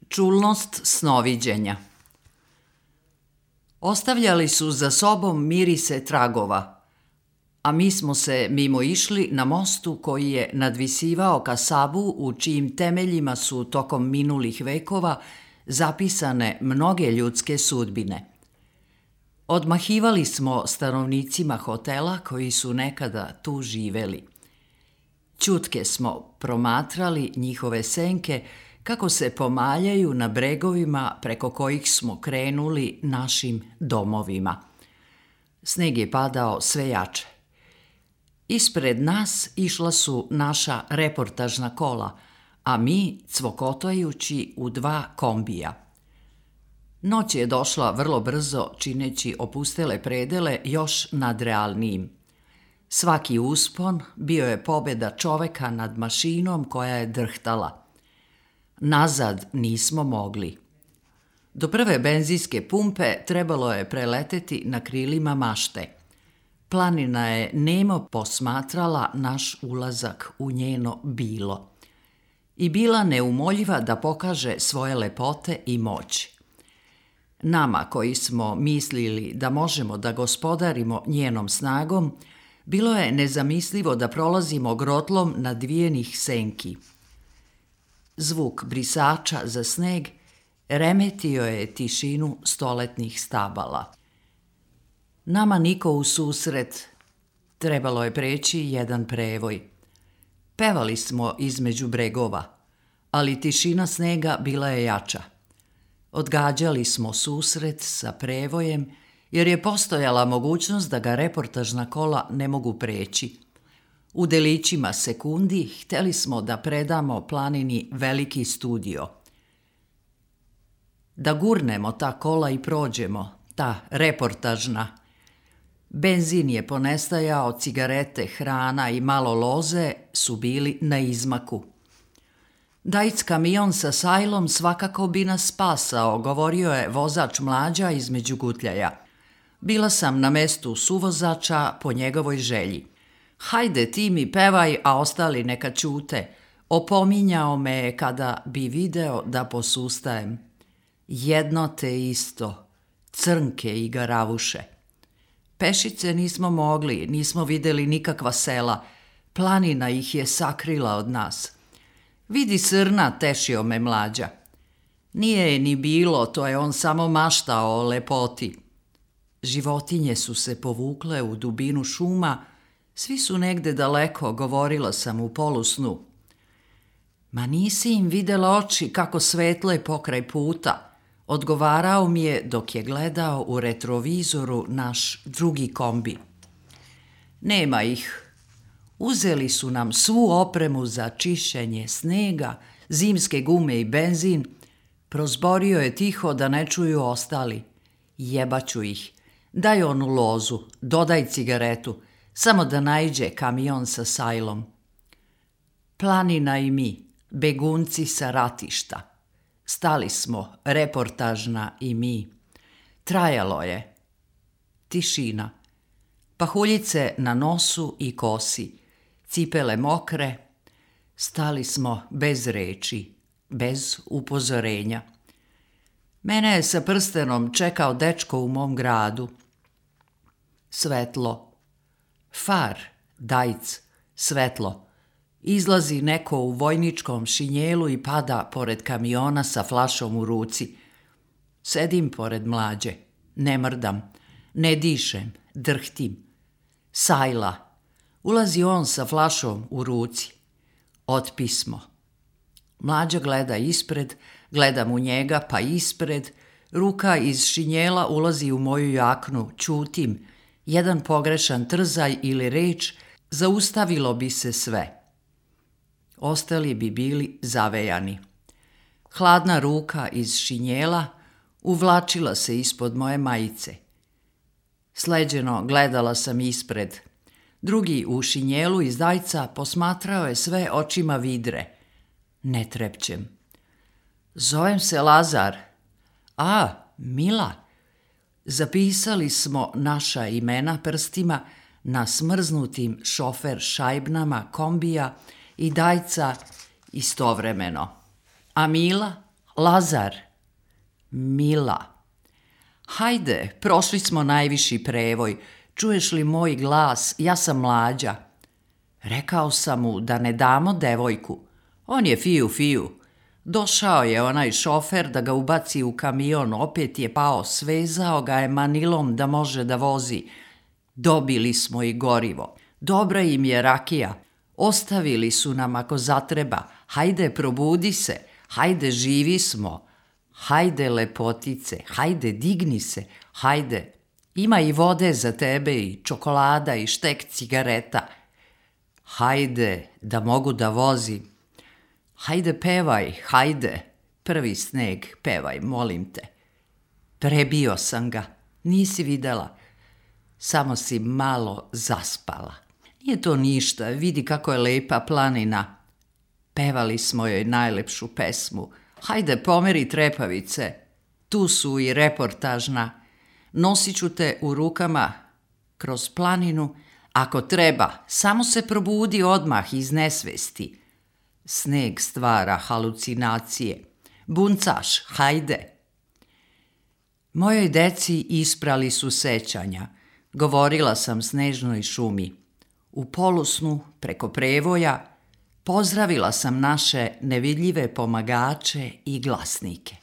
Čulnost snoviđenja. Ostavljali su za sobom mirise tragova, a mi smo se mimo išli na mostu koji je nadvisivao Kasabu, u čijim temeljima su tokom minulih vekova zapisane mnoge ljudske sudbine. Odmahivali smo stanovnicima hotela koji su nekada tu živeli. Ćutke smo promatrali njihove senke kako se pomaljaju na bregovima preko kojih smo krenuli našim domovima. Sneg je padao sve jače. Ispred nas išla su naša reportažna kola, a mi cvokotajući u 2 kombija. Noć je došla vrlo brzo, čineći opustele predele još nadrealnijim. Svaki uspon bio je pobjeda čoveka nad mašinom koja je drhtala. Nazad nismo mogli. Do prve benzinske pumpe trebalo je preleteti na krilima mašte. Planina je nemo posmatrala naš ulazak u njeno bilo. I bila neumoljiva da pokaže svoje lepote i moć. Nama koji smo mislili da možemo da gospodarimo njenom snagom, bilo je nezamislivo da prolazimo grotlom nadvijenih senki. Zvuk brisača za sneg remetio je tišinu stoletnih stabala. Nama niko u susret, trebalo je preći jedan prevoj. Pevali smo između bregova, ali tišina snega bila je jača. Odgađali smo susret sa prevojem, jer je postojala mogućnost da ga reportažna kola ne mogu preći. U delićima sekundi hteli smo da predamo planini veliki studio. Da gurnemo ta kola i prođemo, ta reportažna. Benzin je ponestajao, cigarete, hrana i malo loze su bili na izmaku. Dajc kamion sa sajlom svakako bi nas spasao, govorio je vozač Mlađa između gutljaja. Bila sam na mestu suvozača po njegovoj želji. Hajde ti mi pevaj, a ostali neka ćute. Opominjao me je kada bi video da posustajem. Jedno te isto, crnke i garavuše. Pešice nismo mogli, nismo videli nikakva sela. Planina ih je sakrila od nas. Vidi srna, tešio me Mlađa. Nije je ni bilo, to je on samo maštao o lepoti. Životinje su se povukle u dubinu šuma, svi su negde daleko, govorila sam u polusnu. Ma nisi im videla oči kako svetle pokraj puta, odgovarao mi je dok je gledao u retrovizoru naš drugi kombi. Nema ih. Uzeli su nam svu opremu za čišćenje snega, zimske gume i benzin. Prozborio je tiho da ne čuju ostali. Jebaću ih. Daj onu lozu, dodaj cigaretu, samo da naiđe kamion sa sajlom. Planina i mi, begunci sa ratišta. Stali smo, reportažna i mi. Trajalo je. Tišina. Pahuljice na nosu i kosi. Cipele mokre. Stali smo bez reči, bez upozorenja. Mene je sa prstenom čekao dečko u mom gradu. Svetlo. Far, dajc, svetlo. Izlazi neko u vojničkom šinjelu i pada pored kamiona sa flašom u ruci. Sedim pored Mlađe. Ne mrdam. Ne dišem. Drhtim. Sajla. Ulazi on sa flašom u ruci. Otpismo. Mlađa gleda ispred, gledam u njega pa ispred. Ruka iz šinjela ulazi u moju jaknu. Ćutim. Jedan pogrešan trzaj ili reč zaustavilo bi se sve. Ostali bi bili zavejani. Hladna ruka iz šinjela uvlačila se ispod moje majice. Sleđeno gledala sam ispred. Drugi u šinjelu iz dajca posmatrao je sve očima vidre. Ne trepćem. Zovem se Lazar. A, Mila. Zapisali smo naša imena prstima na smrznutim šofer šajbnama kombija i dajca istovremeno. A Mila? Lazar, Mila. Hajde, prošli smo najviši prevoj. Čuješ li moj glas? Ja sam Mlađa. Rekao sam mu da ne damo devojku. On je fiju. Došao je onaj šofer da ga ubaci u kamion, opet je pao, svezao ga je manilom da može da vozi. Dobili smo i gorivo. Dobra im je rakija. Ostavili su nam ako zatreba. Hajde, probudi se. Hajde, živi smo. Hajde, lepotice. Hajde, digni se. Hajde. Ima i vode za tebe i čokolada i štek cigareta. Hajde, da mogu da vozim. Hajde, pevaj, hajde. Prvi sneg, pevaj, molim te. Prebio sam ga. Nisi videla. Samo si malo zaspala. Nije to ništa, vidi kako je lepa planina. Pevali smo joj najlepšu pesmu. Hajde, pomeri trepavice. Tu su i reportažna. Nosit ću te u rukama kroz planinu. Ako treba, samo se probudi odmah iz nesvesti. Sneg stvara halucinacije. Buncaš, hajde. Mojoj deci isprali su sećanja. Govorila sam snežnoj šumi. U polusnu, preko prevoja, pozdravila sam naše nevidljive pomagače i glasnike.